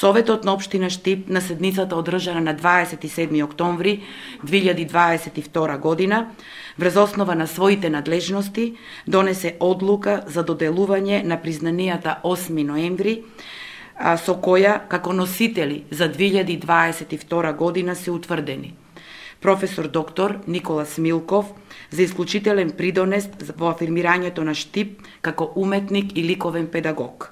Советот на општина Штип на седницата одржана на 27 октомври 2022 година, врз основа на своите надлежности, донесе одлука за доделување на признанијата 8 ноември, со која како носители за 2022 година се утврдени професор доктор Никола Смилков за исклучителен придонес во афирмирањето на Штип како уметник и ликовен педагог.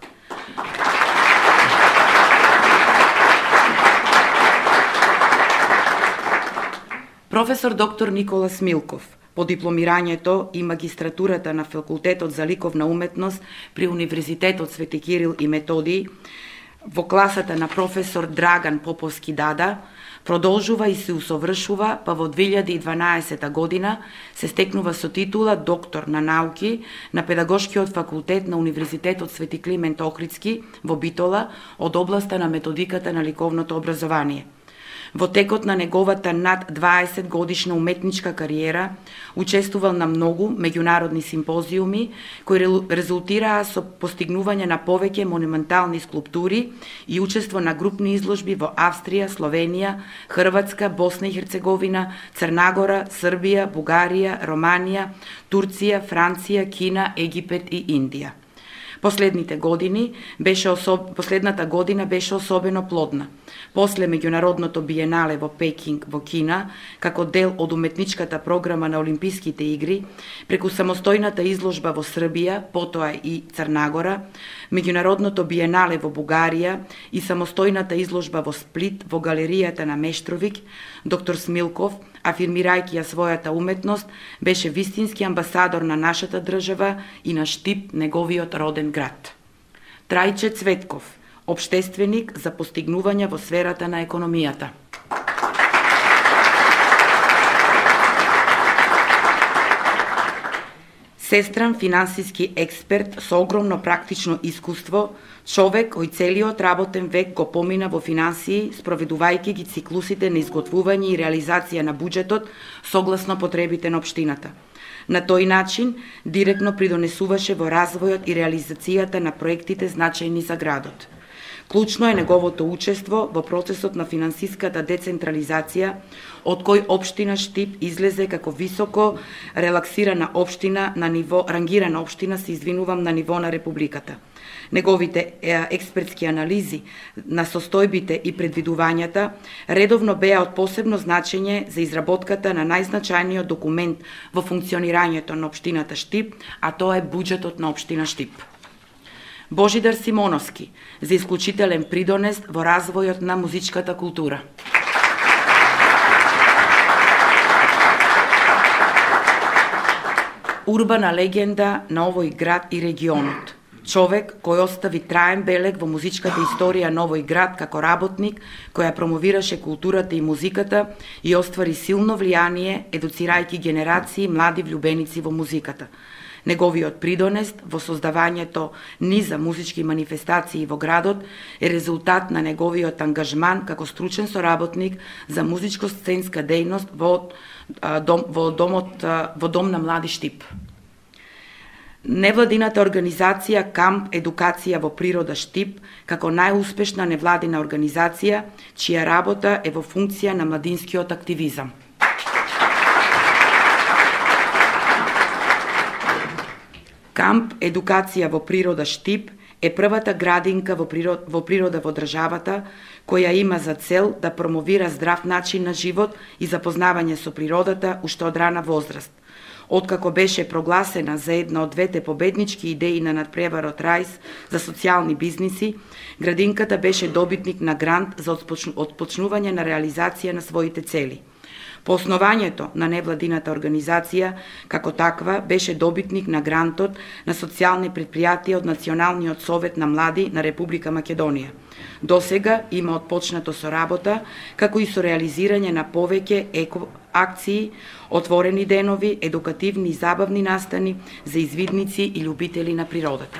Професор доктор Никола Смилков по дипломирањето и магистратурата на Факултетот за ликовна уметност при Универзитетот Свети Кирил и Методиј во класата на професор Драган Поповски Дада, продолжува и се усовршува, па во 2012 година се стекнува со титула доктор на науки на Педагошкиот факултет на Универзитетот Свети Климент Охридски во Битола од областа на методиката на ликовното образование. Во текот на неговата над 20 годишна уметничка кариера учествувал на многу меѓународни симпозиуми кои резултираа со постигнување на повеќе монументални скулптури и учество на групни изложби во Австрија, Словенија, Хрватска, Босна и Херцеговина, Црнагора, Србија, Бугарија, Романија, Турција, Франција, Кина, Египет и Индија. Последната година беше особено плодна. После меѓународното биенале во Пекинг во Кина, како дел од уметничката програма на Олимписките игри, преку самостојната изложба во Србија, потоа и Црнагора, меѓународното биенале во Бугарија и самостојната изложба во Сплит во галеријата на Мештровик, доктор Смилков, афирмирајќи ја својата уметност, беше вистински амбасадор на нашата држава и на Штип, неговиот роден град. Трајче Цветков, општественик за постигнувања во сферата на економијата. Сестран финансиски експерт со огромно практично искуство, човек кој целиот работен век го помина во финансии, спроведувајќи ги циклусите на изготвување и реализација на буџетот согласно потребите на општината. На тој начин, директно придонесуваше во развојот и реализацијата на проектите значајни за градот. Клучно е неговото учество во процесот на финансиската децентрализација, од кој општина Штип излезе како високо релаксирана општина на ниво, рангирана општина, на ниво на Републиката. Неговите експертски анализи на состојбите и предвидувањата редовно беа од посебно значење за изработката на најзначајниот документ во функционирањето на општината Штип, а тоа е буџетот на општина Штип. Божидар Симоновски за исклучителен придонес во развојот на музичката култура. Урбана легенда на овој град и регионот. Човек кој остави траен белег во музичката историја на овој град како работник кој ја промовираше културата и музиката и оствари силно влијание едуцирајќи генерации млади влюбеници во музиката. Неговиот придонес во создавањето низа музички манифестации во градот е резултат на неговиот ангажман како стручен соработник за музичко-сценска дејност во Дом на млади Штип. Невладината организација Камп Едукација во природа Штип како најуспешна невладина организација чија работа е во функција на младинскиот активизам. Камп Едукација во природа Штип е првата градинка во природа во државата која има за цел да промовира здрав начин на живот и запознавање со природата уште од рана возраст. Откако беше прогласена за една од двете победнички идеи на надпреварот Рајс за социјални бизниси, градинката беше добитник на грант за отпочнување на реализација на своите цели. По основањето на невладината организација, како таква, беше добитник на грантот на социјални предпријатија од Националниот совет на млади на Република Македонија. Досега има отпочнато со работа, како и со реализирање на повеќе акции, отворени денови, едукативни и забавни настани за извидници и љубители на природата.